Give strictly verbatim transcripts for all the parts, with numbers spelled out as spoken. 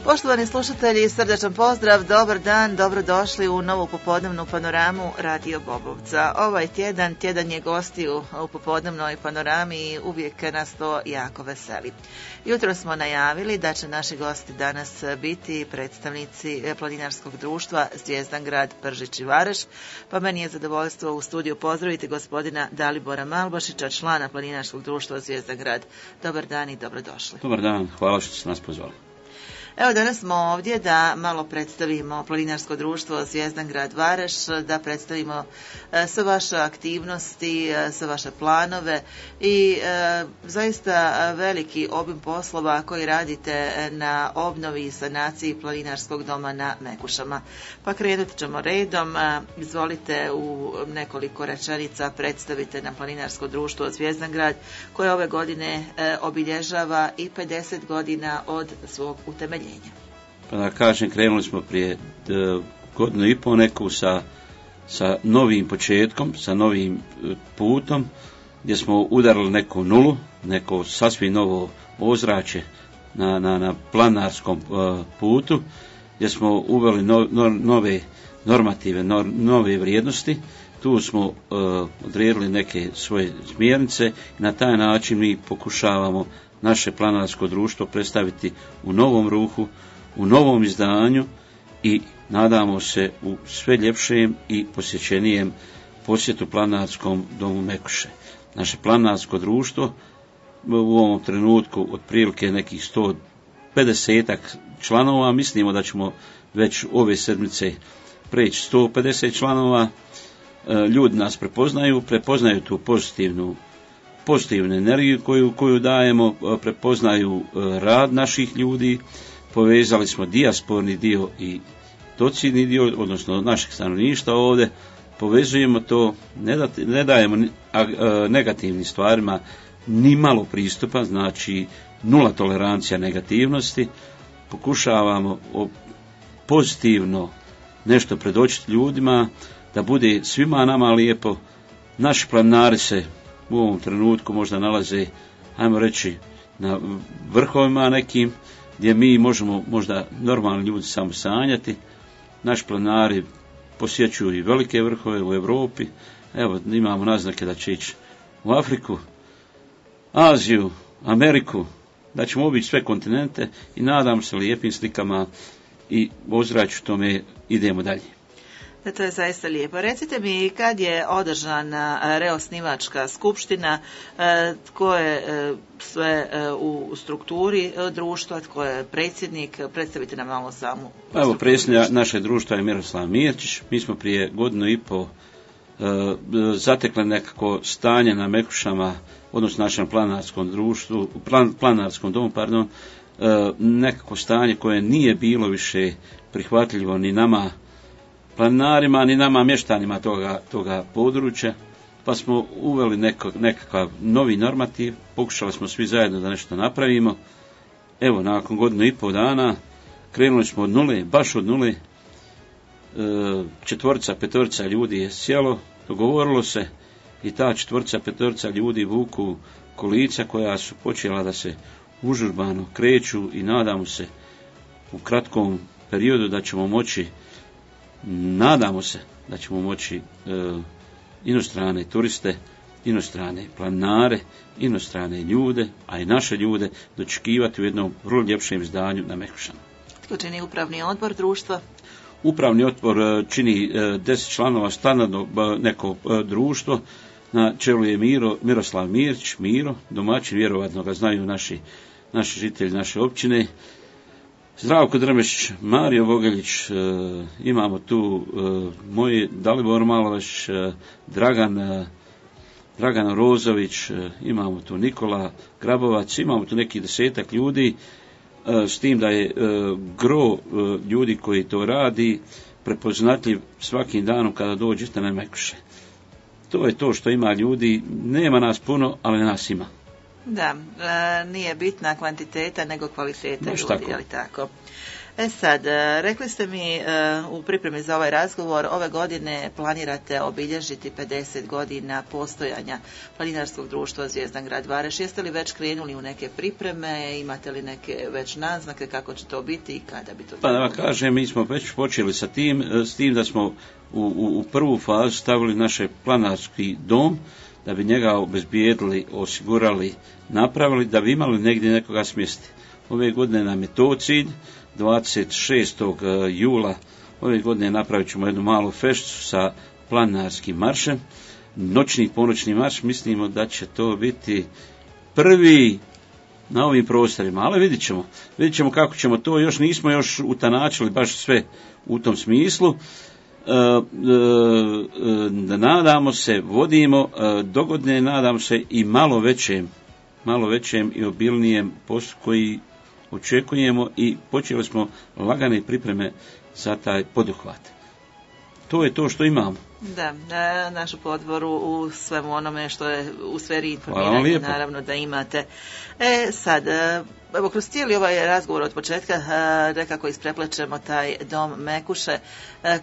Poštovani slušatelji, srdačan pozdrav, dobar dan, dobrodošli u novu popodnevnu panoramu Radio Bobovca. Ovaj tjedan, tjedan je gostiju u popodnevnoj panorami i uvijek nas to jako veseli. Jutro smo najavili da će naši gosti danas biti predstavnici planinarskog društva Zvijezdan grad Pržić i Vareš, pa meni je zadovoljstvo u studiju pozdraviti gospodina Dalibora Malbašića, člana planinarskog društva Zvijezdan grad. Dobar dan i dobrodošli. Dobar dan, hvala što ste nas pozvali. Evo, danas smo ovdje da malo predstavimo planinarsko društvo Zvijezdan grad Vareš, da predstavimo e, sve vaše aktivnosti, e, sve vaše planove i e, zaista veliki obim poslova koji radite na obnovi i sanaciji planinarskog doma na Mekušama. Pa krenut ćemo redom. E, izvolite u nekoliko rečenica predstavite na planinarsko društvo Zvijezdan grad koje ove godine e, obilježava i pedeset godina od svog utemeljenja. Pa da kažem, krenuli smo prije d, godinu i pol neku sa, sa novim početkom, sa novim putom, gdje smo udarili neku nulu, neko sasvim novo ozračje na, na, na planarskom uh, putu, gdje smo uveli no, no, nove normative, no, nove vrijednosti. Tu smo uh, odredili neke svoje smjernice i na taj način mi pokušavamo naše planarsko društvo predstaviti u novom ruhu, u novom izdanju i nadamo se u sve ljepšem i posjećenijem posjetu planarskom domu Mekuše. Naše planarsko društvo u ovom trenutku otprilike nekih sto pedeset članova, mislimo da ćemo već ove sedmice preći sto pedeset članova. Ljudi nas prepoznaju, prepoznaju tu pozitivnu pozitivnu energiju koju, koju dajemo, prepoznaju rad naših ljudi, povezali smo dijasporni dio i docidni dio, odnosno našeg stanovništva ovdje, povezujemo to, ne, da, ne dajemo a, a, negativnim stvarima ni malo pristupa, znači nula tolerancija negativnosti, pokušavamo pozitivno nešto predočiti ljudima, da bude svima nama lijepo. Naši planinari se u ovom trenutku možda nalaze, ajmo reći, na vrhovima nekim, gdje mi možemo možda normalni ljudi samo sanjati. Naši planinari posjećuju i velike vrhove u Europi. Evo, imamo naznake da će ići u Afriku, Aziju, Ameriku, da ćemo obići sve kontinente i nadam se lijepim slikama i ozračju tome idemo dalje. To je zaista lijepo. Recite mi, kad je održana reosnivačka skupština, tko je sve u strukturi društva, tko je predsjednik, predstavite nam malo samu. Pa evo, predsjednik naše društva je Miroslav Mirčić. Mi smo prije godinu i po zatekli nekako stanje na Mekušama, odnosno našem planarskom društvu, plan, planarskom domu, pardon, nekako stanje koje nije bilo više prihvatljivo ni nama planinarima, ni nama mještanima toga, toga područja, pa smo uveli neko, nekakav novi normativ, pokušali smo svi zajedno da nešto napravimo. Evo, nakon godinu i pol dana krenuli smo od nule, baš od nule, četvorica, petorica ljudi je sjelo, dogovorilo se i ta četvorica, petorica ljudi vuku kolica koja su počela da se užurbano kreću i nadamo se u kratkom periodu da ćemo moći Nadamo se da ćemo moći e, inostrane turiste, inostrane planinare, inostrane ljude, a i naše ljude dočekivati u jednom vrlo ljepšem izdanju na Mekušama. Tko čini upravni odbor društva? Upravni odbor čini e, deset članova standardnog neko e, društvo. Na čelu je Miro, Miroslav Mirčić, Miro, domaćin, vjerovatno ga znaju naši, naši žitelji naše općine. Zdravko Drmešić, Mario Vogeljić, e, imamo tu e, moji Dalibor Malbašić, e, Dragan, e, Dragan Rozović, e, imamo tu Nikola Grabovac, imamo tu neki desetak ljudi, e, s tim da je e, gro e, ljudi koji to radi prepoznatljiv svakim danom kada dođete na Mekuše. To je to što ima ljudi, nema nas puno, ali nas ima. Da, e, nije bitna kvantiteta nego kvaliteta ljudi, je li tako? E sad, rekli ste mi u pripremi za ovaj razgovor, ove godine planirate obilježiti pedeset godina postojanja Planinarskog društva Zvijezdan grad Vareš. Jeste li već krenuli u neke pripreme, imate li neke već naznake kako će to biti i kada bi to bilo? Pa da vam kažem, mi smo već počeli sa tim, s tim da smo u, u, u prvu fazu stavili naš planarski dom, da bi njega obezbijedili, osigurali, napravili, da bi imali negdje nekoga smjesti. Ove godine nam je to cilj. dvadeset šestog jula ove godine napravit ćemo jednu malu feštu sa planinarskim maršem, noćni ponoćni marš. Mislimo da će to biti prvi na ovim prostorima, ali vidit ćemo, vidit ćemo kako ćemo to, još nismo još utanačili baš sve u tom smislu. E, e, e, nadamo se, vodimo e, dogodne, nadamo se i malo većem, malo većem i obilnijem poslu koji očekujemo i počeli smo lagane pripreme za taj poduhvat. To je to što imamo. Da, na našu podvoru u svemu onome što je u sferi informiranja, naravno da imate. E sad, evo kroz cijeli ovaj razgovor od početka nekako ispreplećemo taj dom Mekuše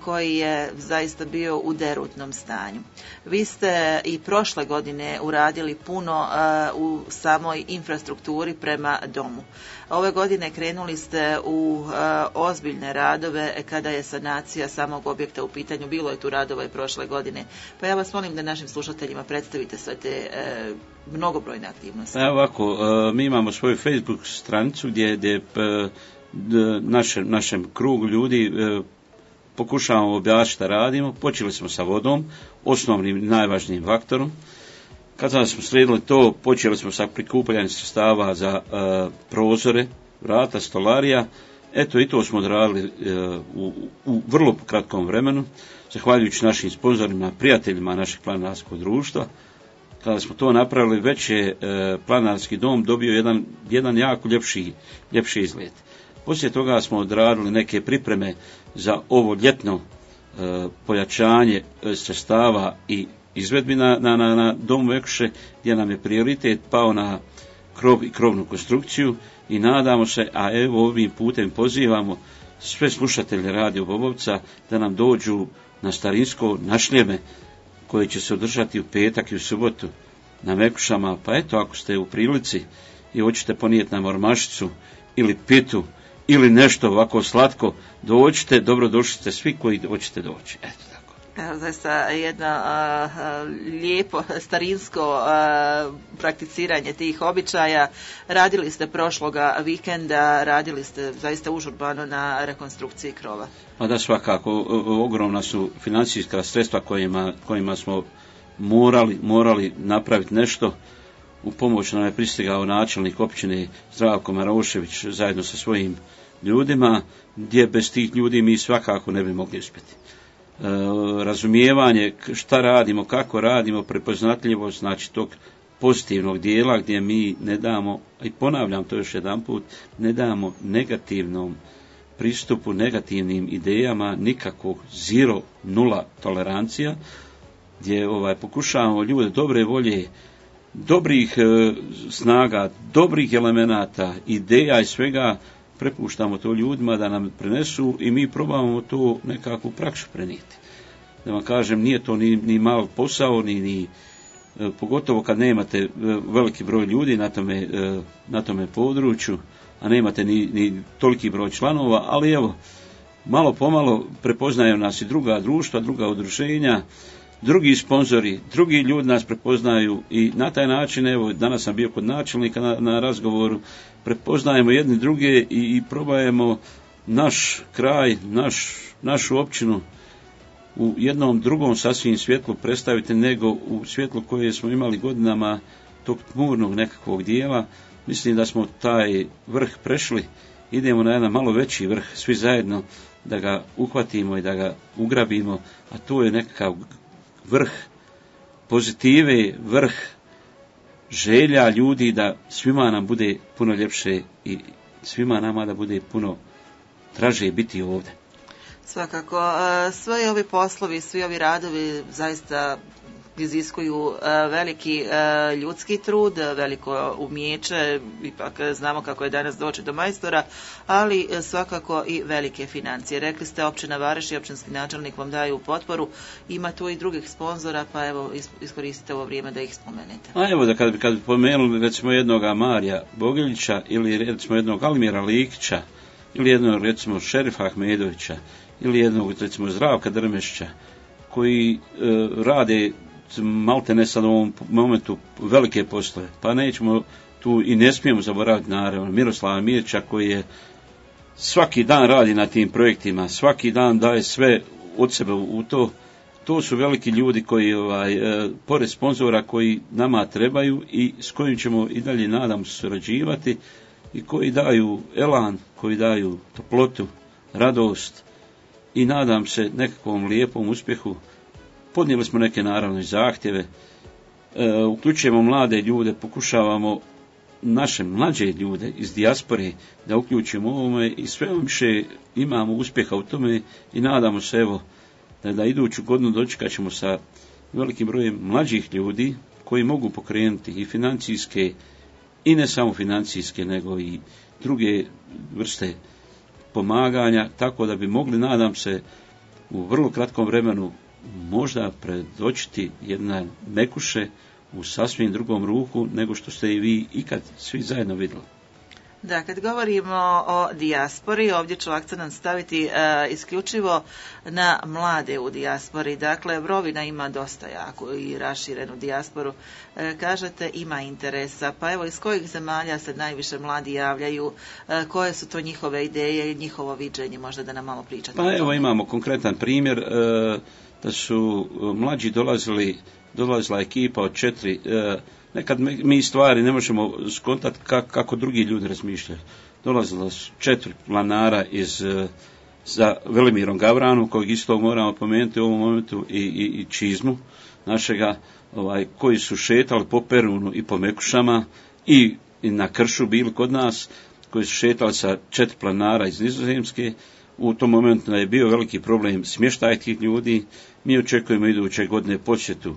koji je zaista bio u derutnom stanju. Vi ste i prošle godine uradili puno u samoj infrastrukturi prema domu. Ove godine krenuli ste u uh, ozbiljne radove kada je sanacija samog objekta u pitanju. Bilo je tu radova i prošle godine. Pa ja vas molim da našim slušateljima predstavite sve te uh, mnogobrojne aktivnosti. Evo ovako, uh, mi imamo svoju Facebook stranicu gdje, gdje uh, našem, našem krugu ljudi uh, pokušavamo objasniti šta radimo. Počeli smo sa vodom, osnovnim najvažnijim faktorom. Kada smo sredili to, počeli smo sa prikupljanjem sredstava za uh, prozore, vrata, stolarija. Eto, i to smo odradili uh, u, u vrlo kratkom vremenu, zahvaljujući našim sponzorima, prijateljima našeg planinarskog društva. Kada smo to napravili, već je uh, planinarski dom dobio jedan, jedan jako ljepši, ljepši izgled. Poslije toga smo odradili neke pripreme za ovo ljetno uh, pojačanje sredstava i izvedbi na, na, na, na domu Mekuše, gdje nam je prioritet pao na krov i krovnu konstrukciju i nadamo se, a evo ovim putem pozivamo sve slušatelje Radio Bobovca da nam dođu na Starinsko, na Šljeme, koje će se održati u petak i u subotu na Mekušama. Pa eto, ako ste u prilici i hoćete ponijeti nam ormašicu ili pitu ili nešto ovako slatko, dođite, dobro došli ste svi koji hoćete doći. Eto. Evo, zaista jedno a, a, lijepo starinsko a, prakticiranje tih običaja. Radili ste prošloga vikenda, radili ste zaista užurbano na rekonstrukciji krova. Pa da, svakako, ogromna su financijska sredstva kojima, kojima smo morali, morali napraviti nešto. U pomoć nam je pristigao načelnik općine Zdravko Marošević zajedno sa svojim ljudima, gdje bez tih ljudi mi svakako ne bi mogli uspjeti. E, razumijevanje šta radimo, kako radimo, prepoznatljivost, znači tog pozitivnog dijela gdje mi ne damo, i ponavljam to još jedan put, ne damo negativnom pristupu, negativnim idejama nikakvog zero, nula tolerancija, gdje ovaj, pokušavamo ljude dobre volje, dobrih e, snaga, dobrih elemenata, ideja i svega, prepuštamo to ljudima da nam prenesu i mi probamo to nekako u praksu prenijeti. Da vam kažem, nije to ni, ni mal posao, ni, ni e, pogotovo kad nemate e, veliki broj ljudi na tome, e, na tome području, a nemate ni, ni toliki broj članova, ali evo, malo pomalo prepoznaju nas i druga društva, druga udruženja, drugi sponzori, drugi ljudi nas prepoznaju i na taj način, evo, danas sam bio kod načelnika na, na razgovoru, prepoznajemo jedni druge i, i probajemo naš kraj, naš, našu općinu u jednom drugom sasvim svjetlu predstaviti nego u svjetlu koje smo imali godinama tog tmurnog nekakvog dijela. Mislim da smo taj vrh prešli, idemo na jedan malo veći vrh, svi zajedno da ga uhvatimo i da ga ugrabimo, a to je nekakav vrh pozitive, vrh želja ljudi da svima nam bude puno ljepše i svima nama da bude puno draže biti ovdje. Svakako, svi ovi poslovi, svi ovi radovi zaista iziskuju veliki ljudski trud, veliko umijeće, ipak znamo kako je danas doći do majstora, ali svakako i velike financije. Rekli ste, općina Vareš i općinski načelnik vam daju potporu, ima tu i drugih sponzora, pa evo iskoristite ovo vrijeme da ih spomenete. A evo da kad bi, kad bi pomenuli recimo jednoga Marija Bogiljića ili recimo jednog Almira Likića ili jednog recimo Šerifa Ahmedovića ili jednog recimo Zdravka Drmešća koji e, rade malte ne sad u ovom momentu velike poslove, pa nećemo tu i ne smijemo zaboraviti naravno Miroslava Mirča koji je svaki dan radi na tim projektima, svaki dan daje sve od sebe u to. To su veliki ljudi koji, ovaj, e, pored sponzora koji nama trebaju i s kojim ćemo i dalje nadam se surađivati i koji daju elan, koji daju toplotu, radost i nadam se nekakvom lijepom uspjehu. Podnijeli smo neke naravno i zahtjeve, e, uključujemo mlade ljude, pokušavamo naše mlađe ljude iz dijaspore da uključimo ovome i sve više imamo uspjeha u tome i nadamo se evo da, da iduću godinu dočekat ćemo sa velikim brojem mlađih ljudi koji mogu pokrenuti i financijske i ne samo financijske nego i druge vrste pomaganja, tako da bi mogli, nadam se, u vrlo kratkom vremenu možda predočiti jedna Mekuše u sasvim drugom ruhu nego što ste i vi ikad svi zajedno vidjeli. Da, kad govorimo o dijaspori, ovdje ću akcent staviti e, isključivo na mlade u dijaspori. Dakle, Vrovina ima dosta jako i raširenu dijasporu. E, kažete, ima interesa. Pa evo, iz kojih zemalja se najviše mladi javljaju? E, koje su to njihove ideje i njihovo viđenje? Možda da nam malo pričate. Pa evo, imamo konkretan primjer e, da su mlađi dolazili, dolazila ekipa od četiri e, nekad mi stvari ne možemo skontati kako, kako drugi ljudi razmišljaju. Dolazilo su četiri planara iz, za Velimirom Gavranu, kojeg isto moramo pomenuti u ovom momentu, i, i, i Čizmu našega, ovaj, koji su šetali po Perunu i po Mekušama i, i na Kršu bili kod nas, koji su šetali sa četiri planara iz Nizozemske. U tom momentu je bio veliki problem smještaj tih ljudi. Mi očekujemo iduće godine posjetu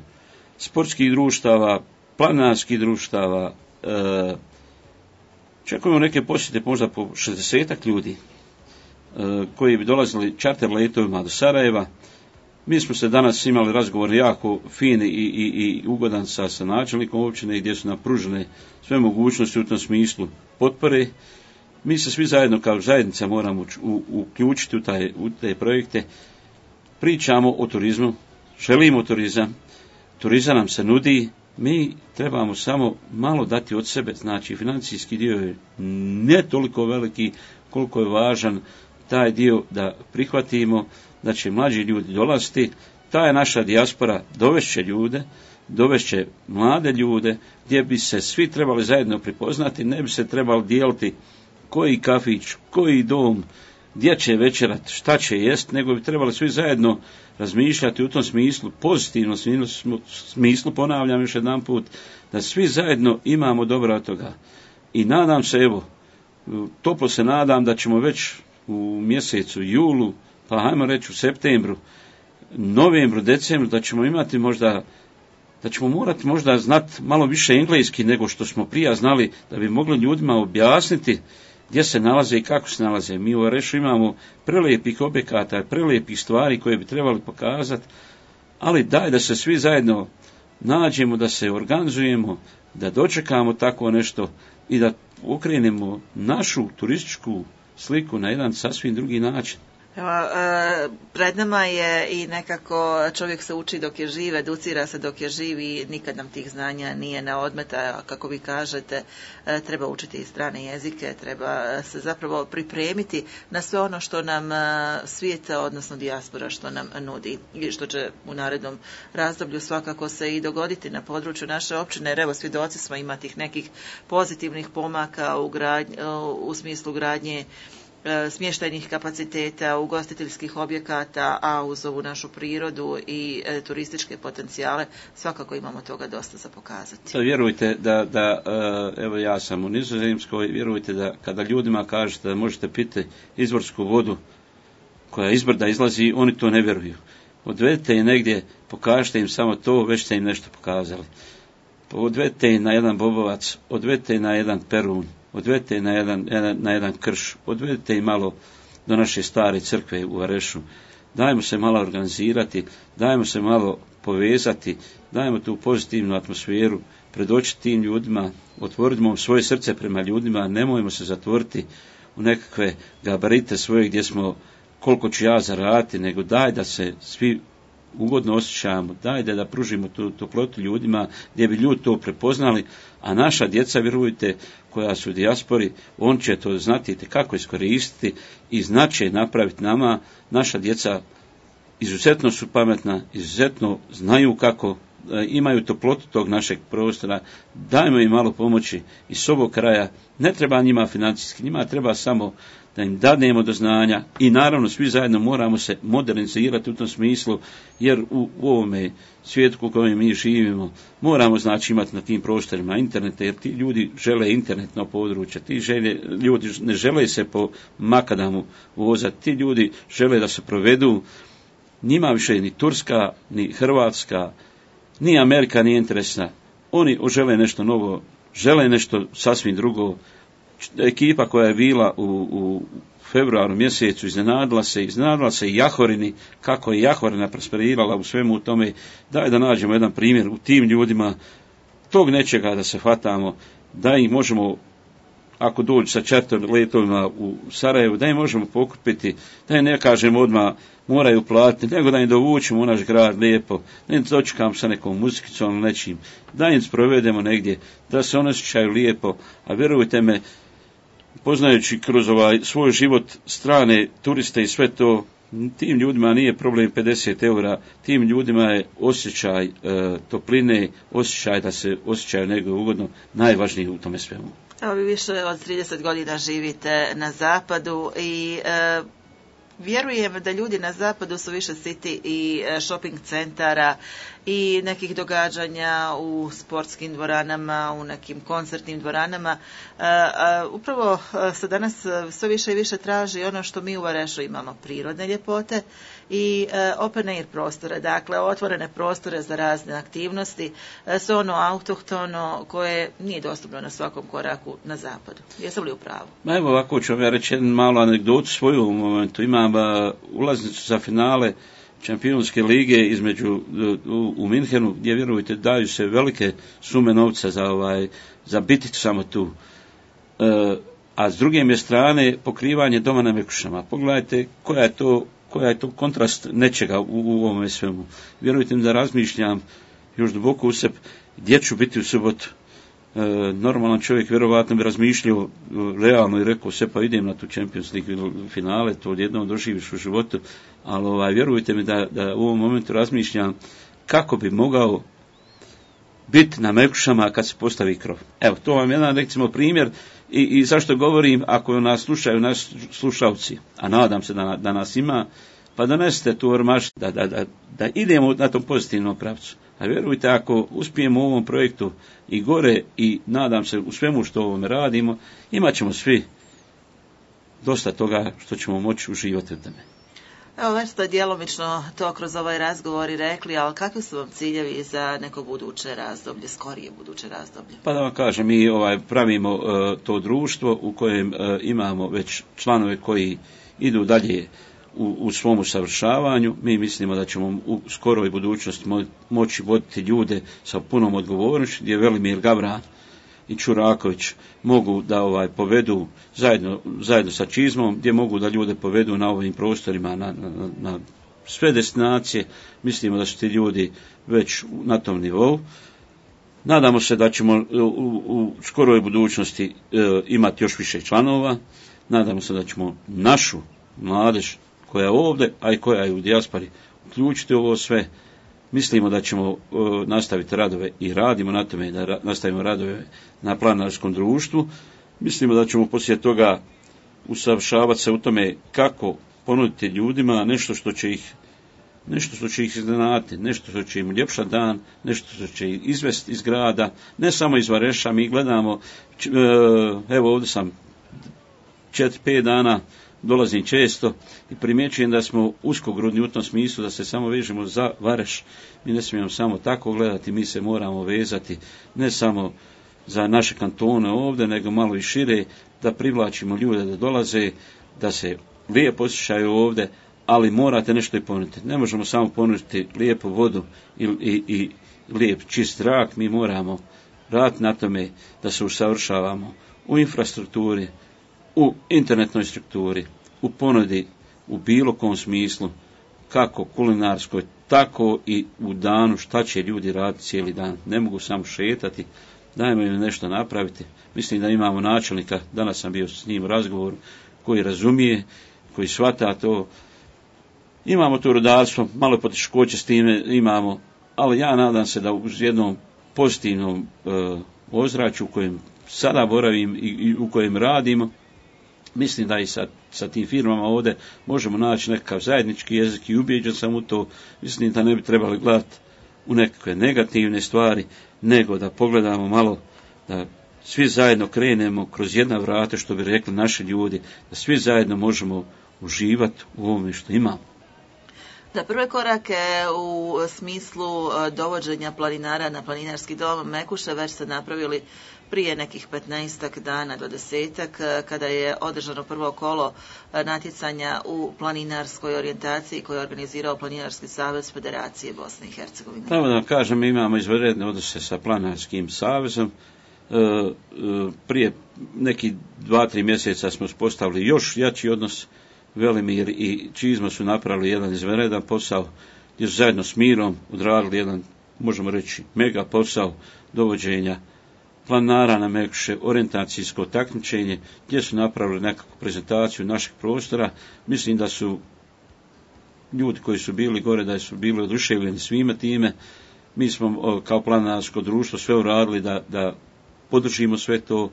sportskih društava, planarskih društava, e, čekujemo neke posjete možda po šezdesetak ljudi e, koji bi dolazili čarter letovima do Sarajeva. Mi smo se danas imali razgovor jako fin i, i, i ugodan sa, sa načelnikom općine gdje su nam pružene sve mogućnosti u tom smislu potpore. Mi se svi zajedno kao zajednica moramo u, uključiti u, taj, u te projekte. Pričamo o turizmu, želimo turizam, turizam nam se nudi. Mi trebamo samo malo dati od sebe, znači financijski dio je ne toliko veliki koliko je važan taj dio da prihvatimo, da će mlađi ljudi dolaziti, ta je naša dijaspora, dovešće ljude, dovešće mlade ljude, gdje bi se svi trebali zajedno prepoznati, ne bi se trebali dijeliti koji kafić, koji dom, gdje će večerat, šta će jest, nego bi trebali svi zajedno razmišljati u tom smislu, pozitivnom smislu, ponavljam još jedan put, da svi zajedno imamo dobro od toga. I nadam se, evo, toplo se nadam da ćemo već u mjesecu julu, pa hajmo reći u septembru, novembru, decembru, da ćemo imati možda, da ćemo morati možda znati malo više engleski nego što smo prije znali, da bi mogli ljudima objasniti gdje se nalaze i kako se nalaze. Mi u Varešu imamo prelijepih objekata, prelijepih stvari koje bi trebali pokazati, ali daj da se svi zajedno nađemo, da se organizujemo, da dočekamo tako nešto i da okrenemo našu turističku sliku na jedan sasvim drugi način. Evo, e, pred nama je i nekako čovjek se uči dok je živ, educira se dok je živ i nikad nam tih znanja nije na odmet, a kako vi kažete, e, treba učiti i strane jezike, treba se zapravo pripremiti na sve ono što nam e, svijeta, odnosno dijaspora, što nam nudi i što će u narednom razdoblju svakako se i dogoditi na području naše općine, jer evo svjedoci smo imati nekih pozitivnih pomaka u, gradnj, u smislu gradnje smještajnih kapaciteta, ugostiteljskih objekata, a uz ovu našu prirodu i e, turističke potencijale svakako imamo toga dosta za pokazati. Vjerujte da, da evo ja sam u Nizozemskoj, vjerujte da kada ljudima kažete da možete piti izvorsku vodu koja iz brda izlazi, oni to ne vjeruju. odvedite ih negdje, pokažite im samo to, već ste im nešto pokazali. Odvedite ih na jedan Bobovac, odvedite ih na jedan Perun, odvedite ih na jedan, na jedan Krš, odvedite ih malo do naše stare crkve u Varešu. Dajmo se malo organizirati, dajmo se malo povezati, dajmo tu pozitivnu atmosferu, predočiti tim ljudima, otvorimo svoje srce prema ljudima, nemojmo se zatvoriti u nekakve gabarite svoje gdje smo koliko ću ja zaraditi, nego daj da se svi ugodno osjećamo, daj da, da pružimo tu toplotu ljudima gdje bi ljudi to prepoznali, a naša djeca, vjerujte, koja su u dijaspori, on će to znati kako iskoristiti i znaće napraviti nama. Naša djeca izuzetno su pametna, izuzetno znaju kako, imaju toplotu tog našeg prostora, dajmo im malo pomoći iz ovog kraja, ne treba njima financijski, njima treba samo da im dadnemo do znanja i naravno svi zajedno moramo se modernizirati u tom smislu, jer u, u ovome svijetu u kojem mi živimo moramo znači imati na tim prostorima internete, jer ti ljudi žele internetno područje, ti žele, ljudi ne žele se po makadamu vozati, ti ljudi žele da se provedu, njima više ni Turska, ni Hrvatska, ni Amerika nije interesna, oni žele nešto novo, žele nešto sasvim drugo. Ekipa koja je bila u, u februaru mjesecu iznenadila se, iznenadila se i Jahorini, kako je Jahorina prosperirala u svemu tome. Daj da nađemo jedan primjer u tim ljudima, tog nečega da se hvatamo, da ih možemo, ako dođu sa čarter letovima u Sarajevu, da im možemo pokupiti, da im ne kažemo odmah moraju platiti, nego da im dovučemo u naš grad lijepo, da im dočekamo sa nekom muzikicom ili nečim, da im sprovedemo negdje, da se oni osjećaju lijepo, a vjerujte me, poznajući kroz ovaj svoj život strane turiste i sve to, tim ljudima nije problem pedeset eura, tim ljudima je osjećaj e, topline, osjećaj da se osjećaju nego ugodno, najvažnije u tome svemu. Evo vi više od trideset godina živite na zapadu i e, vjerujem da ljudi na zapadu su više siti i shopping centara i nekih događanja u sportskim dvoranama, u nekim koncertnim dvoranama. E, a, upravo se danas sve više i više traži ono što mi u Varešu imamo, prirodne ljepote i e, open air prostore, dakle otvorene prostore za razne aktivnosti, e, sve ono autohtono koje nije dostupno na svakom koraku na zapadu. Jesam li u pravu? Ma evo ovako ću vam ja reći jednu malu anegdotu svoju u momentu. Imam a, ulaznicu za finale Šampionske lige između u, u Minhenu, gdje vjerujte daju se velike sume novca za ovaj za biti samo tu. E, a s druge strane pokrivanje doma na Mekušama. Pogledajte koja je to koja je to kontrast nečega u, u ovome svemu. Vjerujte mi da razmišljam još duboko u sebe gdje ću biti u subotu. E, normalan čovjek vjerovatno bi razmišljao realno i rekao se pa idem na tu Champions League finale, to odjednom doživiš u životu, ali ovaj, vjerujte mi da, da u ovom momentu razmišljam kako bi mogao biti na Mekušama kad se postavi krov. Evo, to vam je jedan recimo primjer i, i zašto govorim, ako nas slušaju naši slušalci, a nadam se da, da nas ima, pa donesite tu ormaš da, da, da, da idemo na tom pozitivnom pravcu. A vjerujte, ako uspijemo u ovom projektu i gore i nadam se u svemu što ovome radimo, imat ćemo svi dosta toga što ćemo moći uživati u tome. Evo, već ste djelomično to kroz ovaj razgovor i rekli, ali kakvi su vam ciljevi za neko buduće razdoblje, skorije buduće razdoblje? Pa da vam kažem, mi ovaj, pravimo uh, to društvo u kojem uh, imamo već članove koji idu dalje u, u svom usavršavanju. Mi mislimo da ćemo u skoroj budućnosti mo- moći voditi ljude sa punom odgovornošću, gdje Velimir Gavran i Čuraković mogu da ovaj povedu zajedno, zajedno sa Čizmom, gdje mogu da ljude povedu na ovim prostorima, na, na, na sve destinacije. Mislimo da su ti ljudi već na tom nivou. Nadamo se da ćemo u, u skoroj budućnosti e, imati još više članova. Nadamo se da ćemo našu mladež koja je ovdje, a i koja je u dijaspori, uključiti ovo sve. Mislimo da ćemo uh, nastaviti radove i radimo na tome da ra- nastavimo radove na planinarskom društvu. Mislimo da ćemo poslije toga usavršavati se u tome kako ponuditi ljudima nešto što će ih nešto što će ih iznenaditi, nešto što će im uljepšati dan, nešto što će ih izvesti iz grada, ne samo iz Vareša. Mi gledamo, č- uh, evo ovdje sam četiri, pet dana dolazim često i primjećujem da smo uskogrudni u tom smislu da se samo vežemo za Vareš. Mi ne smijemo samo tako gledati, mi se moramo vezati ne samo za naše kantone ovdje, nego malo i šire, da privlačimo ljude da dolaze, da se lijepo osjećaju ovdje, ali morate nešto i ponuditi. Ne možemo samo ponuditi lijepu vodu i, i, i lijep čist zrak, mi moramo raditi na tome da se usavršavamo u infrastrukturi, u internetnoj strukturi, u ponudi, u bilo kom smislu, kako kulinarskoj, tako i u danu šta će ljudi raditi cijeli dan. Ne mogu samo šetati, dajmo im nešto napraviti. Mislim da imamo načelnika, danas sam bio s njim u razgovoru, koji razumije, koji shvata to. Imamo to rudarstvo, malo poteškoće s time imamo, ali ja nadam se da uz jednom pozitivnom e, ozračju u kojem sada boravim i, i u kojem radimo, mislim da i sa, sa tim firmama ovdje možemo naći nekakav zajednički jezik i ubijeđen sam u to. Mislim da ne bi trebali gledati u nekakve negativne stvari, nego da pogledamo malo, da svi zajedno krenemo kroz jedna vrata, što bi rekli naši ljudi, da svi zajedno možemo uživati u ovome što imamo. Da, prve korake u smislu dovođenja planinara na planinarski dom Mekuše već ste napravili prije nekih petnaestak dana do desetak, kada je održano prvo kolo natjecanja u planinarskoj orijentaciji koje je organizirao Planinarski savez Federacije Bosne i Hercegovine. Pravo da vam kažem, mi imamo izvanredne odnose sa Planinarskim savezom. Prije nekih dva, tri mjeseca smo uspostavili još jači odnos. Velimir i Čizma su napravili jedan izvanredan posao, gdje su zajedno s Mirom odradili jedan, možemo reći, mega posao dovođenja planinara na Mekuše, orijentacijsko takmičenje, gdje su napravili nekakvu prezentaciju našeg prostora. Mislim da su ljudi koji su bili gore, da su bili oduševljeni svime time. Mi smo kao planinarsko društvo sve uradili da, da podržimo sve to.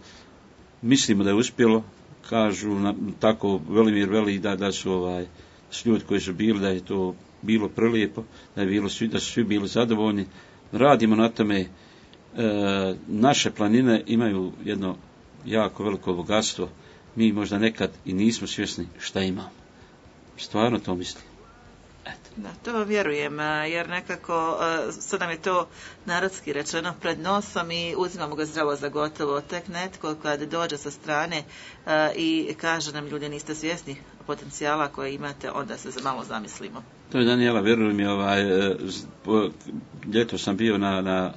Mislimo da je uspjelo. Kažu na, tako Velimir veli da, da su ovaj s ljudi koji su bili, da je to bilo prelijepo, da je bilo svi, da su svi bili zadovoljni. Radimo na tome. E, naše planine imaju jedno jako veliko bogatstvo. Mi možda nekad i nismo svjesni šta imamo. Stvarno to mislim. Eto. Da, to vam vjerujem, jer nekako sad nam je to narodski rečeno pred nosom i uzimamo ga zdravo za gotovo. Tek netko kad dođe sa strane i kaže nam, ljudi, niste svjesni potencijala koje imate, onda se malo zamislimo. To je, Danijela, vjerujem mi, ovaj, ljeto sam bio na, na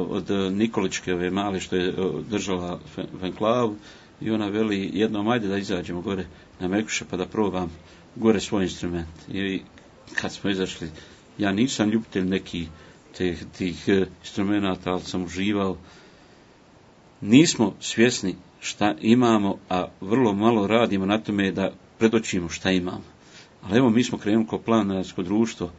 od Nikoličke ove male što je držala Venklavu i ona veli jednom ajde da izađemo gore na Mekuše pa da probam gore svoj instrument. I kad smo izašli, ja nisam ljubitelj nekih tih, tih instrumenta, ali sam uživao. Nismo svjesni šta imamo, a vrlo malo radimo na tome da predočimo šta imamo. Ali evo, mi smo krenuli kao planinarsko društvo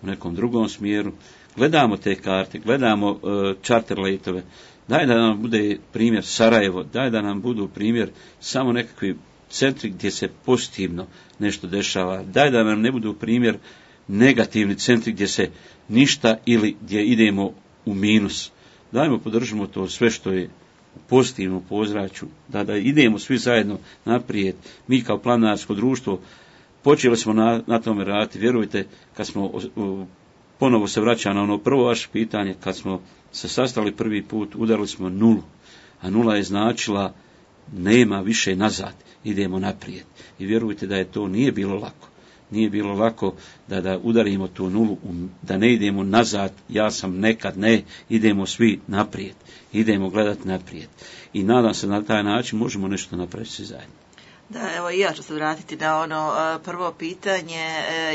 u nekom drugom smjeru. Gledamo te karte, gledamo uh, charter letove. Daj da nam bude primjer Sarajevo, daj da nam budu primjer samo nekakvi centri gdje se pozitivno nešto dešava. Daj da nam ne budu primjer negativni centri gdje se ništa ili gdje idemo u minus. Dajmo podržimo to sve što je u pozitivnom pozračju, da, da idemo svi zajedno naprijed. Mi kao planinarsko društvo počeli smo na, na tome raditi. Vjerujte, kad smo o, ponovo se vraća na ono prvo vaše pitanje, kad smo se sastali prvi put, udarili smo nulu, a nula je značila nema više nazad, idemo naprijed. I vjerujte da je to nije bilo lako. Nije bilo lako da, da udarimo tu nulu, da ne idemo nazad, ja sam nekad, ne, idemo svi naprijed, idemo gledati naprijed. I nadam se na taj način možemo nešto napraviti svi zajedno. Da, evo i ja ću se vratiti na ono prvo pitanje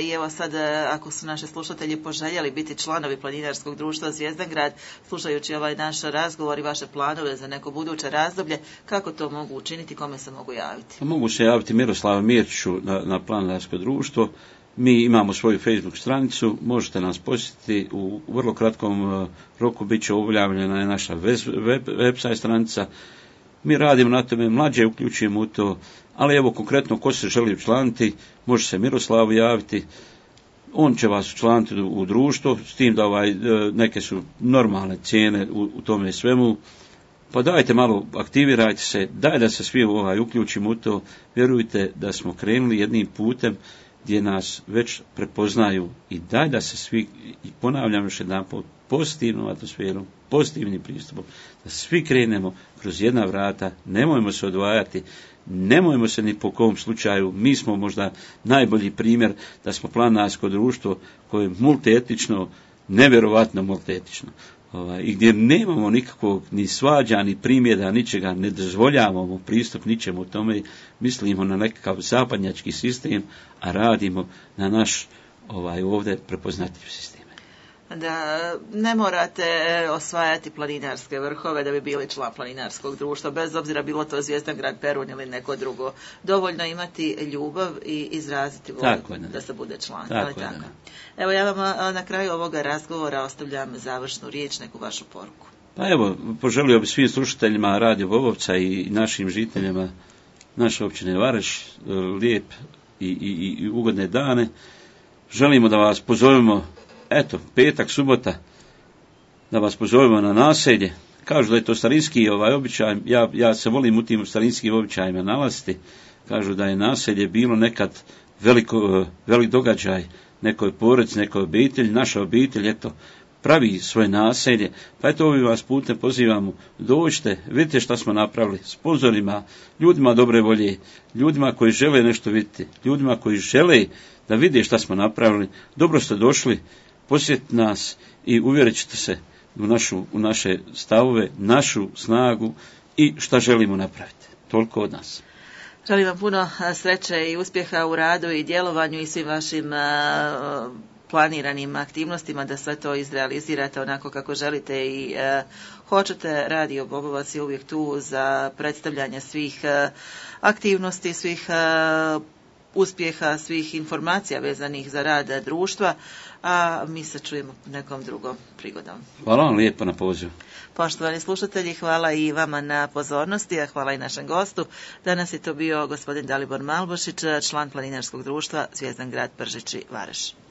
i evo sad ako su naši slušatelji poželjeli biti članovi Planinarskog društva Zvijezdangrad, slušajući ovaj naš razgovor i vaše planove za neko buduće razdoblje, kako to mogu učiniti, kome se mogu javiti? Mogu se javiti Miroslava Mirčiću na, na Planinarsko društvo. Mi imamo svoju Facebook stranicu, možete nas posjetiti, u vrlo kratkom roku bit će objavljena naša web, web, website stranica. Mi radimo na tome, mlađe uključujemo u to, ali evo konkretno ko se želi učlaniti, može se Miroslavu javiti, on će vas učlaniti u, u društvo, s tim da ovaj, neke su normalne cijene u, u tome svemu. pa dajte malo, aktivirajte se, daj da se svi ovaj, uključimo u to, vjerujte da smo krenuli jednim putem gdje nas već prepoznaju i daj da se svi, i ponavljam još jedan put, pozitivnom atmosferom, pozitivnim pristupom, da svi krenemo kroz jedna vrata, nemojmo se odvajati, nemojmo se ni po kom slučaju, mi smo možda najbolji primjer da smo planinarsko društvo koje je multietično, nevjerovatno multietično. Ovaj, i gdje nemamo nikakvog ni svađa, ni primjeda, ničega, ne dozvoljavamo pristup ničemu tome, mislimo na nekakav zapadnjački sistem, a radimo na naš ovaj, ovdje prepoznatljiv sistem. Da ne morate osvajati planinarske vrhove da bi bili član planinarskog društva, bez obzira bilo to Zvijezdan grad Perun ili neko drugo. Dovoljno imati ljubav i izraziti volju da se bude član. Tako, ali tako. Da. Evo, ja vam na kraju ovoga razgovora ostavljam završnu riječ, neku vašu poruku. Pa evo, poželio bi svim slušateljima Radio Bobovca i našim žiteljima naše općine Vareš lijep i, i, i ugodne dane. Želimo da vas pozovemo, eto, petak, subota, da vas pozovemo na naselje. Kažu da je to starinski ovaj običaj, ja, ja se volim u tim starinskim običajima nalaziti. Kažu da je naselje bilo nekad veliko, velik događaj nekoj porodici, nekoj obitelji, naša obitelj, eto, pravi svoje naselje, pa eto ovim vas putem pozivamo, dođite, vidite šta smo napravili, sponzorima, ljudima dobre volje, ljudima koji žele nešto vidjeti, ljudima koji žele da vide šta smo napravili, dobro ste došli, posjetite nas i uvjerit ćete se u, našu, u naše stavove, našu snagu i šta želimo napraviti. Toliko od nas. Želim vam puno sreće i uspjeha u radu i djelovanju i svim vašim planiranim aktivnostima, da sve to izrealizirate onako kako želite i e, hoćete. Radio Bobovac je uvijek tu za predstavljanje svih e, aktivnosti, svih e, uspjeha, svih informacija vezanih za rad društva, a mi se čujemo nekom drugom prigodom. Hvala vam lijepo na pozivu. Poštovani slušatelji, hvala i vama na pozornosti, a hvala i našem gostu. Danas je to bio gospodin Dalibor Malbošić, član planinarskog društva Zvijezdan grad Pržići Vareš.